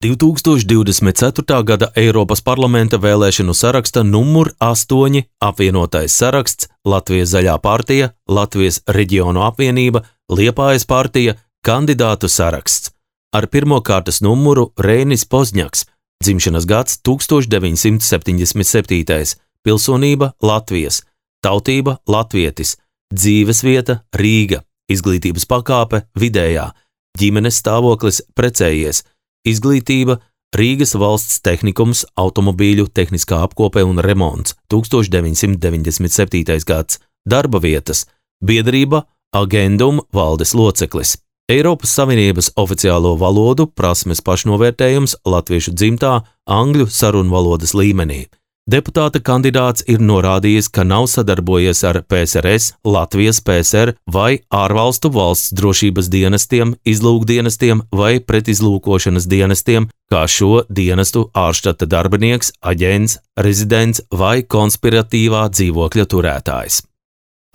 2024. gada Eiropas parlamenta vēlēšanu saraksta numur 8 apvienotais saraksts, Latvijas Zaļā partija, Latvijas Reģionu apvienība, Liepājas partija, kandidātu saraksts. Ar pirmo kārtas numuru Reinis Pozņaks, dzimšanas gads 1977, pilsonība Latvijas, tautība latvietis, dzīvesvieta Rīga, izglītības pakāpe vidējā, ģimenes stāvoklis precējies, izglītība Rīgas valsts tehnikums, automobīļu tehniskā apkope un remonts 1997. gads, darba vietas, biedrība Agendum valdes loceklis, Eiropas Savienības oficiālo valodu prasmes pašnovērtējums latviešu dzimtā angļu sarunvalodas līmenī. Deputāta kandidāts ir norādījis, ka nav sadarbojies ar PSRS, Latvijas PSR vai ārvalstu valsts drošības dienestiem, izlūkdienestiem vai pretizlūkošanas dienestiem, kā šo dienestu ārštata darbinieks, aģents, rezidents vai konspiratīvā dzīvokļa turētājs.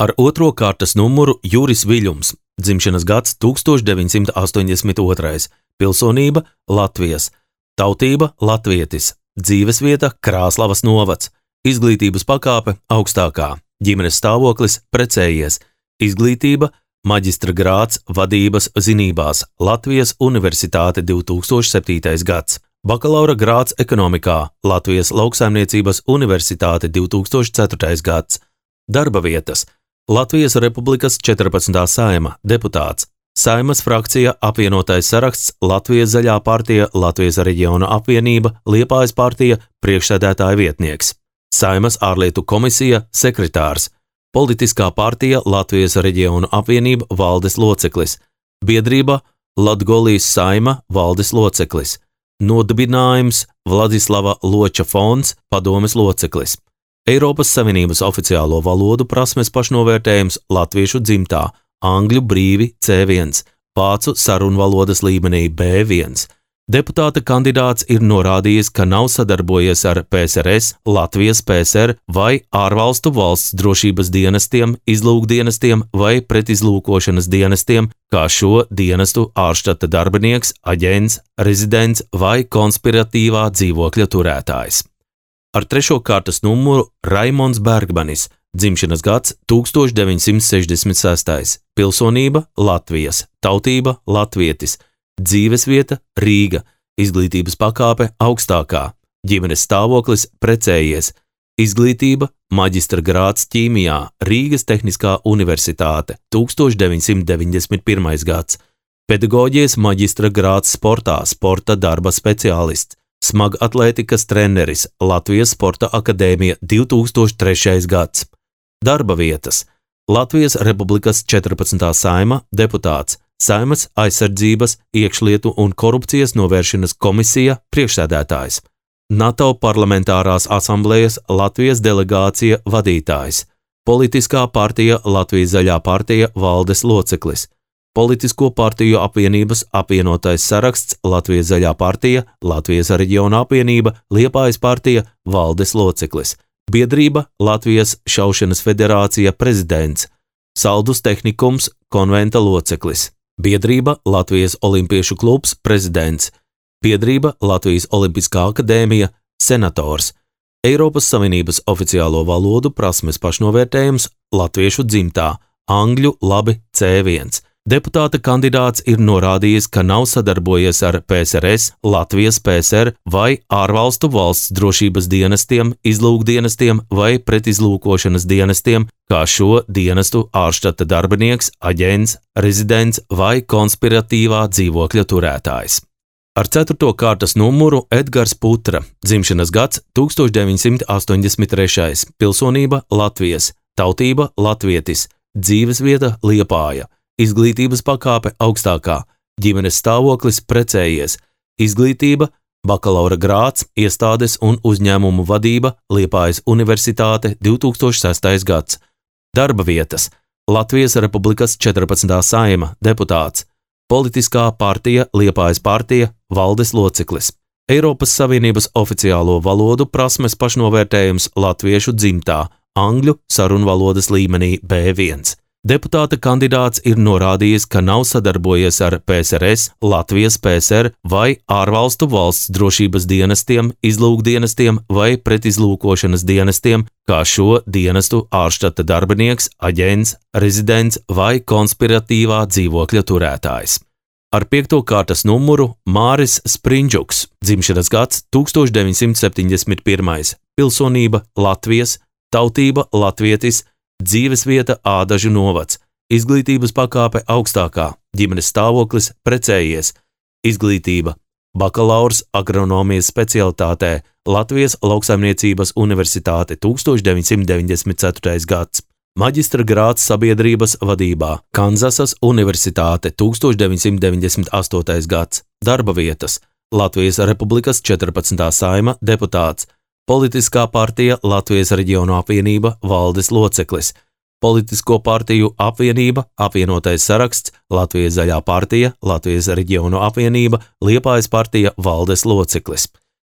Ar otro kārtas numuru Juris Viļums, dzimšanas gads 1982, pilsonība Latvijas, tautība latvietis, dzīvesvieta Krāslavas novads, izglītības pakāpe augstākā, ģimenes stāvoklis precējies, izglītība maģistra grāds vadības zinībās, Latvijas Universitāte 2007. gads, bakalaura grāds ekonomikā, Latvijas Lauksaimniecības Universitāte 2004. gads, darba vietas, Latvijas Republikas 14. Saeima, deputāts, Saeimas frakcija apvienotais saraksts, Latvijas Zaļā partija, Latvijas Reģionu apvienība, Liepājas partija, priekšsēdētāja vietnieks, Saeimas ārlietu komisija, sekretārs, politiskā partija Latvijas Reģionu apvienība, valdes loceklis, biedrība Latgolijas Saeima, valdes loceklis, nodibinājums Vladislava Loča fonds, padomes loceklis, Eiropas Savienības oficiālo valodu prasmes pašnovērtējums latviešu dzimtā, angļu brīvi C1, vācu sarunvalodas līmenī B1. Deputāta kandidāts ir norādījis, ka nav sadarbojies ar PSRS, Latvijas PSR vai ārvalstu valsts drošības dienestiem, izlūkdienestiem vai pretizlūkošanas dienestiem, kā šo dienestu ārštata darbinieks, aģents, rezidents vai konspiratīvā dzīvokļa turētājs. Ar trešo kārtas numuru Raimons Bergmanis, dzimšanas gads 1966, pilsonība Latvijas, tautība latvietis, dzīvesvieta Rīga, izglītības pakāpe augstākā, ģimenes stāvoklis precējies, izglītība maģistra grāds ķīmijā, Rīgas Tehniskā universitāte 1991. gads, pedagoģijas maģistra grāds sportā, sporta darba speciālists, smagatlētikas treneris, Latvijas Sporta akadēmija 2003. gads. Darba vietas, Latvijas Republikas 14. Saeima, deputāts, Saeimas aizsardzības, iekšlietu un korupcijas novēršanas komisija, priekšsēdētājs, NATO parlamentārās asamblejas Latvijas delegācija vadītājs, politiskā partija Latvijas Zaļā partija valdes loceklis, politisko partiju apvienības apvienotais saraksts Latvijas Zaļā partija, Latvijas Reģionu apvienība, Liepājas partija, valdes loceklis, biedrība Latvijas šaušanas federācija prezidents, Saldus tehnikums konventa loceklis, biedrība Latvijas olimpiešu klubs prezidents, biedrība Latvijas olimpiskā akadēmija senators, Eiropas Savienības oficiālo valodu prasmes pašnovērtējums latviešu dzimtā, angļu labi C1. Deputāta kandidāts ir norādījis, ka nav sadarbojies ar PSRS, Latvijas PSR vai ārvalstu valsts drošības dienestiem, izlūkdienestiem vai pretizlūkošanas dienestiem, kā šo dienestu ārštata darbinieks, aģents, rezidents vai konspiratīvā dzīvokļa turētājs. Ar ceturto kārtas numuru Edgars Putra, dzimšanas gads 1983, pilsonība Latvijas, tautība latvietis, dzīvesvieta Liepāja, izglītības pakāpe augstākā, ģimenes stāvoklis precējies, izglītība, bakalaura grāds, iestādes un uzņēmumu vadība, Liepājas Universitāte 2006. gads, darba vietas, Latvijas Republikas 14. Saeima, deputāts, politiskā partija Liepājas partija, valdes loceklis, Eiropas Savienības oficiālo valodu prasmes pašnovērtējums latviešu dzimtā, angļu sarunvalodas līmenī B1. Deputāta kandidāts ir norādījis, ka nav sadarbojies ar PSRS, Latvijas PSR vai ārvalstu valsts drošības dienestiem, izlūkdienestiem vai pretizlūkošanas dienestiem, kā šo dienestu ārštata darbinieks, aģents, rezidents vai konspiratīvā dzīvokļa turētājs. Ar 5. kārtas numuru Māris Sprindžuks, dzimšanas gads 1971, pilsonība Latvijas, tautība latvietis, dzīvesvieta Ādažu novads, izglītības pakāpe augstākā, ģimenes stāvoklis precējies, izglītība bakalaurs agronomijas specialitātē, Latvijas Lauksaimniecības universitāte 1994. gads, maģistra grāds sabiedrības vadībā, Kanzasas universitāte 1998. gads, darba vietas, Latvijas Republikas 14. Saeima deputāts, Politiskā partija Latvijas reģionu apvienība valdes loceklis, Politisko partiju apvienība, apvienotais saraksts, Latvijas zaļā partija, Latvijas reģionu apvienība, Liepājas partija valdes loceklis.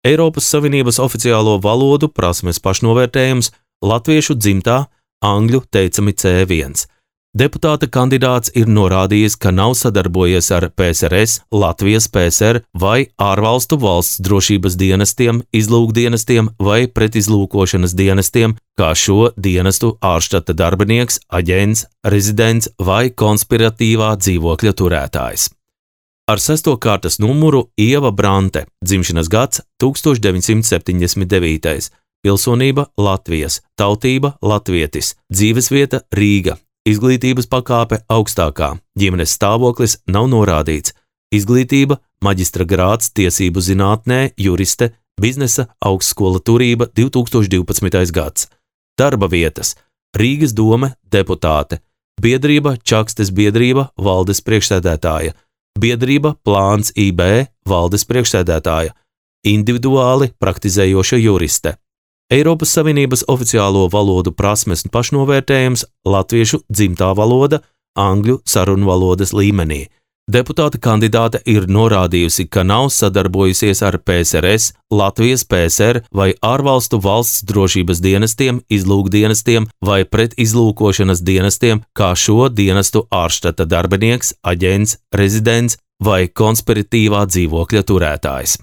Eiropas Savienības oficiālo valodu prasmes pašnovērtējums latviešu dzimtā, angļu teicami C1. Deputāta kandidāts ir norādījis, ka nav sadarbojies ar PSRS, Latvijas PSR vai ārvalstu valsts drošības dienestiem, izlūkdienestiem vai pretizlūkošanas dienestiem, kā šo dienestu ārštata darbinieks, aģents, rezidents vai konspiratīvā dzīvokļa turētājs. Ar 6. kārtas numuru Ieva Brante, dzimšanas gads 1979, pilsonība Latvijas, tautība latvietis, dzīvesvieta Rīga. Izglītības pakāpe augstākā, ģimenes stāvoklis nav norādīts, izglītība, maģistra grāds tiesību zinātnē, juriste, biznesa augstskola turība 2012. gads, darba vietas, Rīgas dome deputāte, biedrība Čakstes biedrība valdes priekšsēdētāja, biedrība Plāns IB valdes priekšsēdētāja, individuāli praktizējoša juriste. Eiropas Savienības oficiālo valodu prasmes pašnovērtējums latviešu dzimtā valoda, angļu sarunvalodas līmenī. Deputāta kandidāte ir norādījusi, ka nav sadarbojusies ar PSRS, Latvijas PSR vai ārvalstu valsts drošības dienestiem, izlūkdienestiem vai pretizlūkošanas dienestiem, kā šo dienestu ārštata darbinieks, aģents, rezidents vai konspiratīvā dzīvokļa turētājs.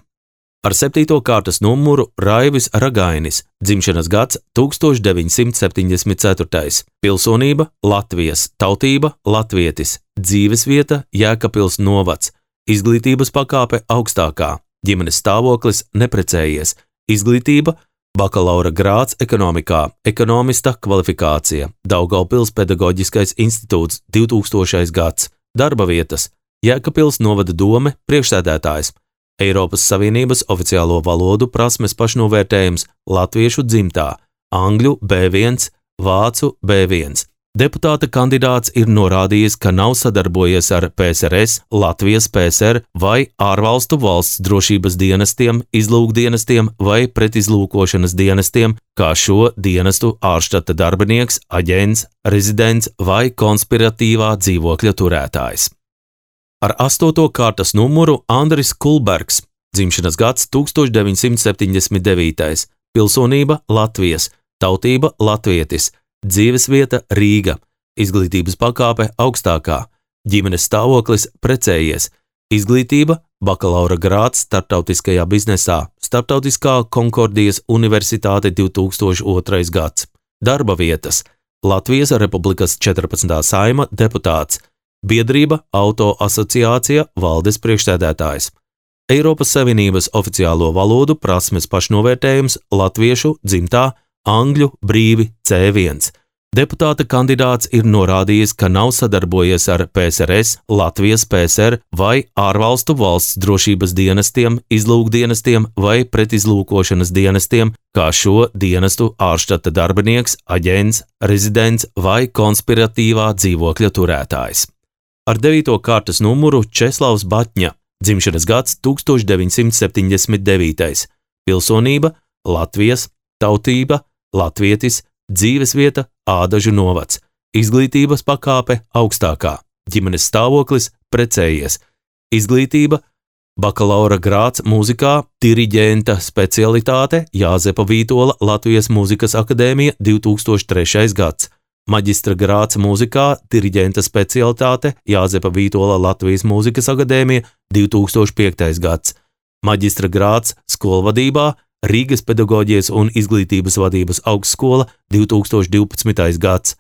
Ar 7. kārtas numuru Raivis Ragainis, dzimšanas gads 1974, pilsonība Latvijas, tautība latvietis, dzīvesvieta Jēkabpils novads, izglītības pakāpe augstākā, ģimenes stāvoklis neprecējies, izglītība bakalaura grāds ekonomikā, ekonomista kvalifikācija, Daugavpils pedagoģiskais institūts 2000. gads, darba vietas Jēkabpils novada dome priekšsēdētājs, Eiropas Savienības oficiālo valodu prasmes pašnovērtējums latviešu dzimtā, angļu B1, vācu B1. Deputāta kandidāts ir norādījis, ka nav sadarbojies ar PSRS, Latvijas PSR vai ārvalstu valsts drošības dienestiem, izlūkdienestiem vai pretizlūkošanas dienestiem, kā šo dienestu ārštata darbinieks, aģents, rezidents vai konspiratīvā dzīvokļa turētājs. Ar 8. kārtas numuru Andris Kulbergs, dzimšanas gads 1979, pilsonība Latvijas, tautība latvietis, dzīvesvieta Rīga, izglītības pakāpe augstākā, ģimenes stāvoklis precējies, izglītība bakalaura grāds starptautiskajā biznesā, Starptautiskā Konkordijas universitāte 2002. gads, darba vietas Latvijas Republikas 14. Saeima deputāts, biedrība Auto asociācija valdes priekšsēdētājs. Eiropas Savienības oficiālo valodu prasmes pašnovērtējums latviešu dzimtā, angļu brīvi C1. Deputāta kandidāts ir norādījis, ka nav sadarbojies ar PSRS, Latvijas PSR vai ārvalstu valsts drošības dienestiem, izlūkdienestiem vai pretizlūkošanas dienestiem, kā šo dienestu ārštata darbinieks, aģents, rezidents vai konspiratīvā dzīvokļa turētājs. Ar 9. kārtas numuru Česlavs Batņa, dzimšanas gads 1979, pilsonība Latvijas, tautība latvietis, dzīvesvieta Ādažu novads, izglītības pakāpe augstākā, ģimenes stāvoklis precējies, izglītība bakalaura grāds mūzikā, diriģenta specialitāte Jāzepa Vītola Latvijas Mūzikas akadēmija 2003. gads, maģistra grāds mūzikā, diriģenta specialitāte Jāzepa Vītola Latvijas Mūzikas akadēmija 2005. gads, maģistra grāds skolvadībā Rīgas pedagoģijas un izglītības vadības augstskola 2012. gads,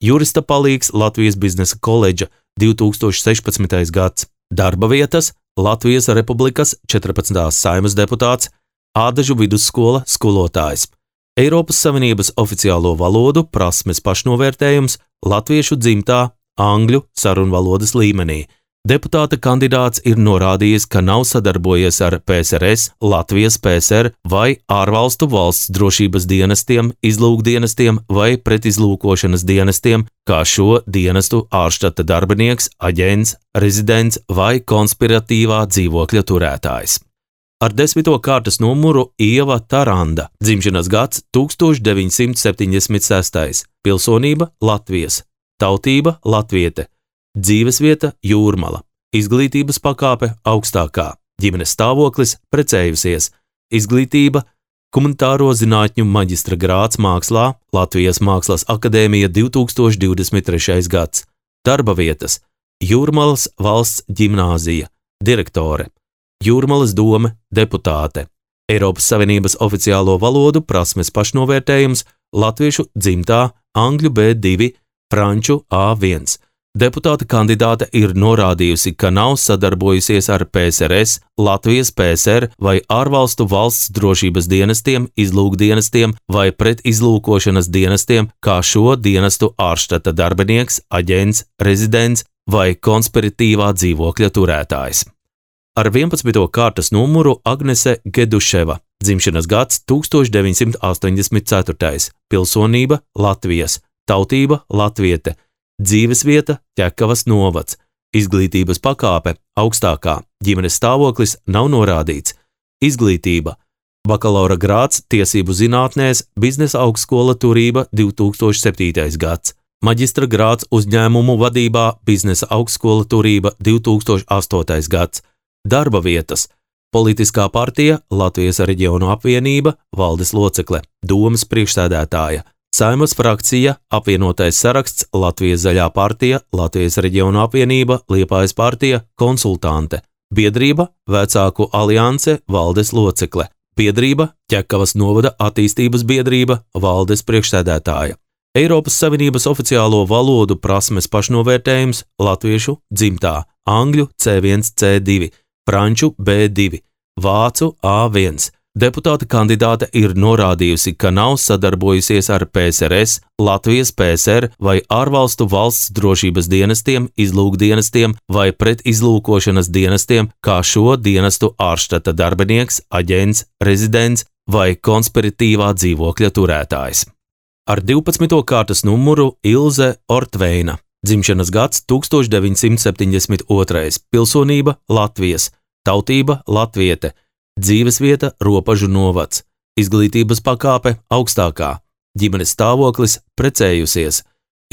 jurista palīgs Latvijas biznesa koledža 2016. gads, darba vietas Latvijas Republikas 14. Saeimas deputāts, Ādažu vidusskola skolotājs, Eiropas Savienības oficiālo valodu prasmes pašnovērtējums latviešu dzimtā angļu sarunvalodas līmenī. Deputāta kandidāts ir norādījis, ka nav sadarbojies ar PSRS, Latvijas PSR vai ārvalstu valsts drošības dienestiem, izlūkdienestiem vai pretizlūkošanas dienestiem, kā šo dienestu ārštata darbinieks, aģents, rezidents vai konspiratīvā dzīvokļa turētājs. Ar 10. kārtas numuru Ieva Taranda, dzimšanas gads 1976, pilsonība Latvijas, tautība latviete, dzīvesvieta Jūrmala, izglītības pakāpe augstākā, ģimenes stāvoklis precējusies, izglītība humanitāro zinātņu maģistra grāds mākslā, Latvijas Mākslas akadēmija 2023. gads, darba vietas Jūrmalas valsts ģimnāzija, direktore, Jūrmalas dome deputāte, Eiropas Savienības oficiālo valodu prasmes pašnovērtējums latviešu dzimtā angļu B2, franču A1. Deputāta kandidāte ir norādījusi, ka nav sadarbojusies ar PSRS, Latvijas PSR vai ārvalstu valsts drošības dienestiem, izlūkdienestiem vai pretizlūkošanas dienestiem, kā šo dienestu ārštata darbinieks, aģents, rezidents vai konspiratīvā dzīvokļa turētājs. Ar 11. kārtas numuru Agnese Geduševa, dzimšanas gads 1984, pilsonība Latvijas, tautība latviete, dzīvesvieta Ķekavas novads, izglītības pakāpe augstākā, ģimenes stāvoklis nav norādīts, izglītība, bakalaura grāds tiesību zinātnēs, biznesa augstskola Turība 2007. gads, maģistra grāds uzņēmumu vadībā, biznesa augstskola Turība 2008. gads, darba vietas, politiskā partija Latvijas reģionu apvienība, valdes locekle, domes priekšsēdētāja, Saeimas frakcija, apvienotais saraksts, Latvijas zaļā partija, Latvijas reģionu apvienība, Liepājas partija, konsultante, biedrība, vecāku alianse, valdes locekle, biedrība, Ķekavas novada attīstības biedrība, valdes priekšsēdētāja, Eiropas Savienības oficiālo valodu prasmes pašnovērtējums latviešu dzimtā, angļu C1, C2, franču B2, vācu A1. Deputāta kandidāte ir norādījusi, ka nav sadarbojusies ar PSRS, Latvijas PSR vai ārvalstu valsts drošības dienestiem, izlūkdienestiem vai pretizlūkošanas dienestiem, kā šo dienestu ārštata darbinieks, aģents, rezidents vai konspiratīvā dzīvokļa turētājs. Ar 12. kārtas numuru Ilze Ortveina, dzimšanas gads 1972, pilsonība Latvijas, tautība latviete, dzīvesvieta Ropažu novads, izglītības pakāpe augstākā, ģimenes stāvoklis precējusies,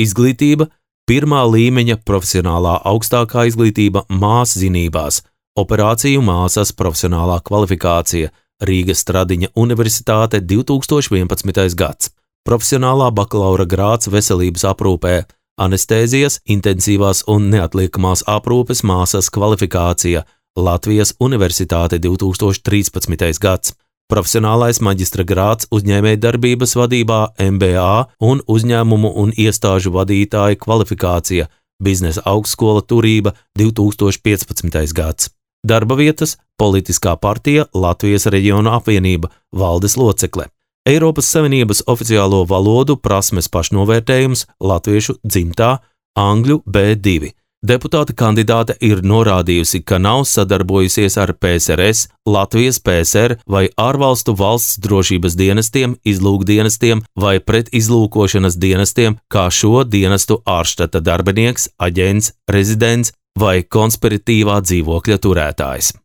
izglītība pirmā līmeņa profesionālā augstākā izglītība māszinībās, operāciju māsas profesionālā kvalifikācija, Rīgas Stradiņa Universitāte 2011. gads, profesionālā bakalaura grāds veselības aprūpē, anestēzijas, intensīvās un neatliekamās aprūpes māsas kvalifikācija, Latvijas Universitāte 2013. gads, profesionālais maģistra grāds uzņēmējdarbības vadībā MBA un uzņēmumu un iestāžu vadītāja kvalifikācija, biznesa augstskola Turība 2015. gads, darba vietas, politiskā partija Latvijas reģionu apvienība, valdes locekle, Eiropas Savienības oficiālo valodu prasmes pašnovērtējums latviešu dzimtā, angļu B2. Deputāta kandidāte ir norādījusi, ka nav sadarbojusies ar PSRS, Latvijas PSR vai ārvalstu valsts drošības dienestiem, izlūkdienestiem vai pretizlūkošanas dienestiem, kā šo dienestu ārštata darbinieks, aģents, rezidents vai konspiratīvā dzīvokļa turētājs.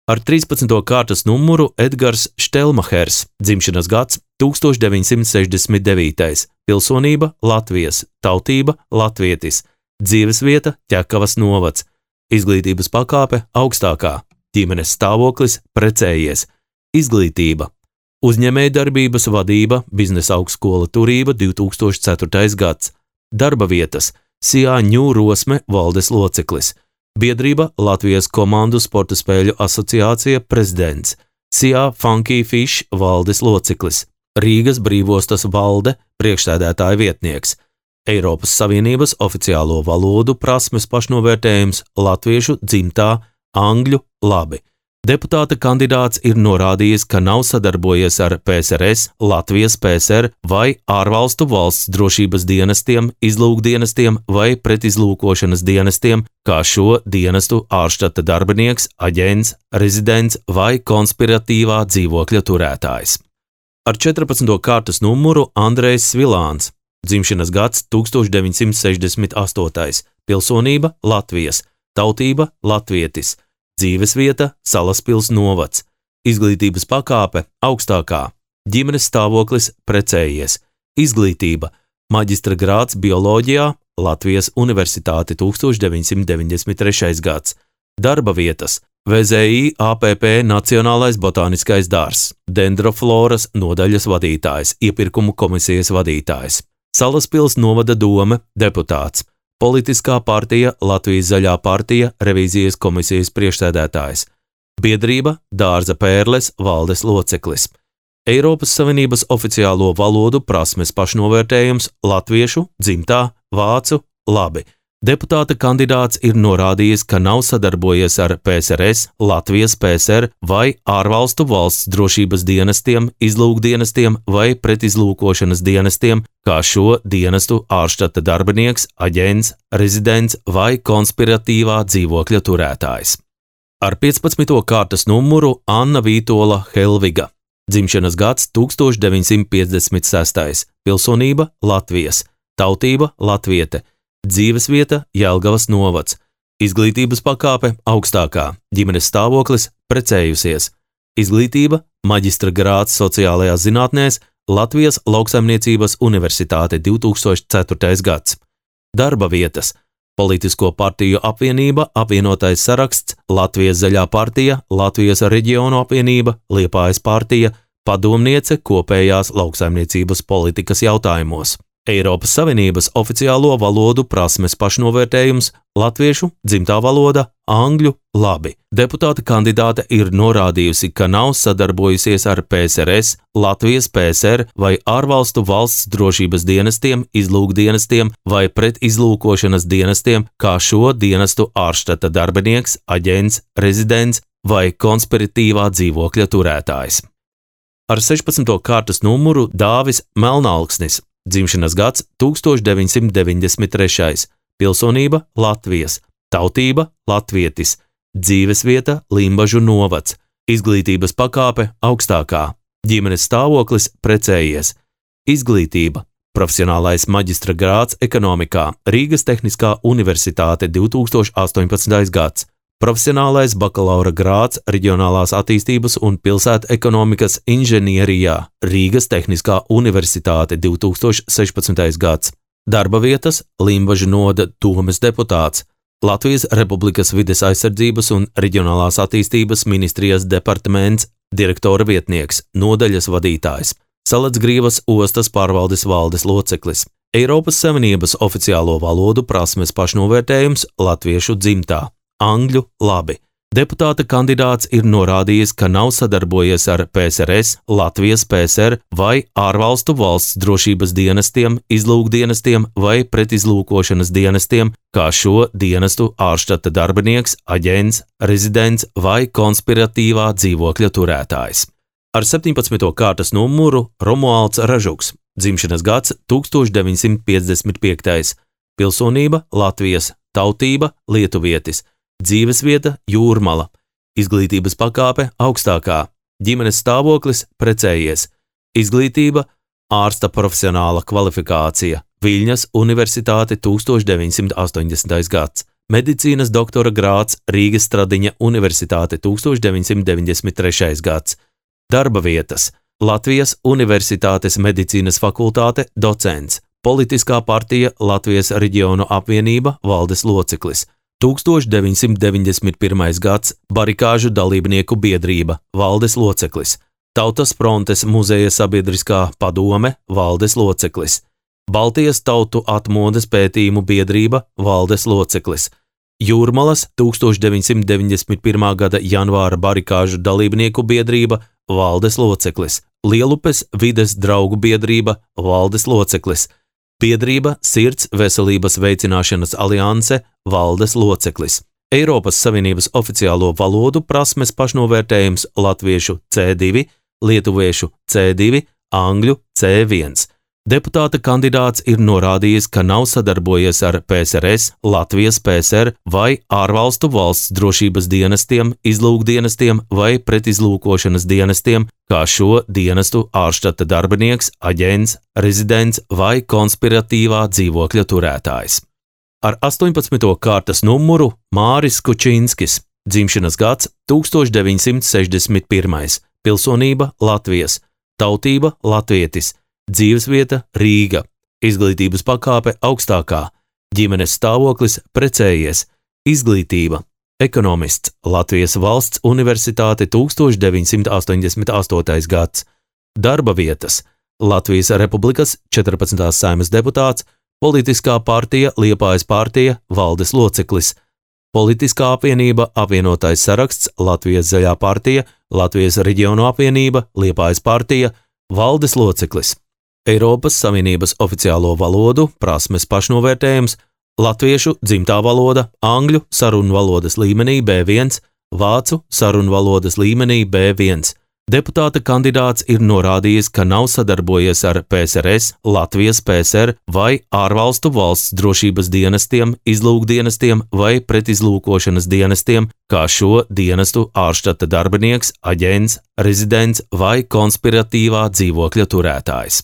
Ar 13. kārtas numuru Edgars Štelmahers, dzimšanas gads 1969, pilsonība Latvijas, tautība latvietis, dzīvesvieta Ķekavas novads, izglītības pakāpe augstākā, ģimenes stāvoklis precējies, izglītība, uzņēmējdarbības vadība, biznesa augstskola Turība 2004. gads, Darba vietas SIA Ņū Rosme valdes loceklis, biedrība Latvijas komandu sporta spēļu asociācija prezidents, SIA Funky Fish valdes loceklis, Rīgas brīvostas valde priekšsēdētāja vietnieks, Eiropas Savienības oficiālo valodu prasmes pašnovērtējums latviešu dzimtā, angļu labi. Deputāta kandidāts ir norādījis, ka nav sadarbojies ar PSRS, Latvijas PSR vai ārvalstu valsts drošības dienestiem, izlūkdienestiem vai pretizlūkošanas dienestiem, kā šo dienestu ārštata darbinieks, aģents, rezidents vai konspiratīvā dzīvokļa turētājs. Ar 14. kārtas numuru Andrejs Svilāns, dzimšanas gads 1968, pilsonība Latvijas, tautība latvietis, dzīvesvieta Salaspils novads, izglītības pakāpe augstākā, ģimenes stāvoklis precējies, izglītība maģistra grāds bioloģijā Latvijas Universitāte 1993. gads, darba vietas VZI APP Nacionālais botāniskais dārzs, dendrofloras nodaļas vadītājs, iepirkumu komisijas vadītājs, Salaspils novada dome deputāts, Politiskā partija Latvijas Zaļā partija revīzijas komisijas priekšsēdētājs, biedrība Dārza Pērles valdes loceklis, Eiropas Savienības oficiālo valodu prasmes pašnovērtējums latviešu, dzimtā, vācu, labi. Deputāta kandidāts ir norādījis, ka nav sadarbojies ar PSRS, Latvijas PSR vai ārvalstu valsts drošības dienestiem, izlūkdienestiem vai pretizlūkošanas dienestiem, kā šo dienestu ārštata darbinieks, aģents, rezidents vai konspiratīvā dzīvokļa turētājs. Ar 15. kārtas numuru Anna Vītola Helviga, dzimšanas gads 1956, pilsonība Latvijas, tautība latviete, dzīvesvieta Jelgavas novads, izglītības pakāpe augstākā, ģimenes stāvoklis precējusies, izglītība maģistra grāds sociālajās zinātnēs Latvijas Lauksaimniecības Universitāte 2004. gads, darba vietas Politisko partiju apvienība, apvienotais saraksts, Latvijas Zaļā partija, Latvijas reģionu apvienība, Liepājas partija, padomniece kopējās lauksaimniecības politikas jautājumos. Eiropas Savienības oficiālo valodu prasmes pašnovērtējums latviešu, dzimtā valoda, angļu labi. Deputāta kandidāte ir norādījusi, ka nav sadarbojusies ar PSRS, Latvijas PSR vai ārvalstu valsts drošības dienestiem, izlūkdienestiem vai pretizlūkošanas dienestiem, kā šo dienestu ārštata darbinieks, aģents, rezidents vai konspiratīvā dzīvokļa turētājs. Ar 16. kārtas numuru Dāvis Melnalksnis, dzimšanas gads 1993. Pilsonība Latvijas, tautība latvietis, dzīvesvieta Limbažu novads, izglītības pakāpe augstākā, ģimenes stāvoklis precējies, izglītība, profesionālais maģistra grāds ekonomikā, Rīgas Tehniskā universitāte 2018. gads, profesionālais bakalaura grāds reģionālās attīstības un pilsētu ekonomikas inženierijā, Rīgas Tehniskā universitāte 2016. gads, darba vietas Limbažu noda domes deputāts, Latvijas Republikas vides aizsardzības un reģionālās attīstības ministrijas departaments, direktora vietnieks, nodaļas vadītājs, Salacgrīvas ostas pārvaldes valdes loceklis, Eiropas Savienības oficiālo valodu prasmes pašnovērtējums latviešu dzimtā, angļu labi. Deputāta kandidāts ir norādījis, ka nav sadarbojies ar PSRS, Latvijas PSR vai ārvalstu valsts drošības dienestiem, izlūkdienestiem vai pretizlūkošanas dienestiem, kā šo dienestu ārštata darbinieks, aģents, rezidents vai konspiratīvā dzīvokļa turētājs. Ar 17. kārtas numuru Romualds Ražuks, dzimšanas gads 1955. Pilsonība Latvijas, tautība lietuvietis, dzīvesvieta Jūrmala, izglītības pakāpe augstākā, ģimenes stāvoklis precējies, izglītība ārsta profesionāla kvalifikācija, Viļņas Universitāte 1980. gads, medicīnas doktora grāds Rīgas Stradiņa Universitāte 1993. gads, darba vietas Latvijas Universitātes medicīnas fakultāte docents, Politiskā partija Latvijas reģionu apvienība valdes loceklis, 1991. gads barikāžu dalībnieku biedrība, valdes loceklis, Tautas frontes muzeja sabiedriskā padome, valdes loceklis, Baltijas tautu atmodas pētījumu biedrība valdes loceklis, Jūrmalas 1991. gada janvāra barikāžu dalībnieku biedrība valdes loceklis, Lielupes vides draugu biedrība valdes loceklis, biedrība Sirds veselības veicināšanas alianse valdes loceklis, Eiropas Savienības oficiālo valodu prasmes pašnovērtējums latviešu C2, lietuviešu C2, angļu C1. Deputāta kandidāts ir norādījis, ka nav sadarbojies ar PSRS, Latvijas PSR vai ārvalstu valsts drošības dienestiem, izlūkdienestiem vai pretizlūkošanas dienestiem, kā šo dienestu ārštata darbinieks, aģents, rezidents vai konspiratīvā dzīvokļa turētājs. Ar 18. kārtas numuru Māris Kučinskis, dzimšanas gads 1961, pilsonība Latvijas, tautība latvietis, dzīvesvieta Rīga, izglītības pakāpe augstākā, ģimenes stāvoklis precējies, izglītība, ekonomists, Latvijas valsts universitāte 1988. gads, darba vietas, Latvijas Republikas 14. Saeimas deputāts, politiskā partija Liepājas partija valdes loceklis, politiskā apvienība Apvienotais saraksts Latvijas zaļā partija, Latvijas reģionu apvienība Liepājas partija valdes loceklis. Eiropas Savienības oficiālo valodu prasmes pašnovērtējums, latviešu dzimtā valoda, angļu sarunvalodas līmenī B1, vācu sarunvalodas līmenī B1. Deputāta kandidāts ir norādījis, ka nav sadarbojies ar PSRS, Latvijas PSR vai ārvalstu valsts drošības dienestiem, izlūkdienestiem vai pretizlūkošanas dienestiem, kā šo dienestu ārštata darbinieks, aģents, rezidents vai konspiratīvā dzīvokļa turētājs.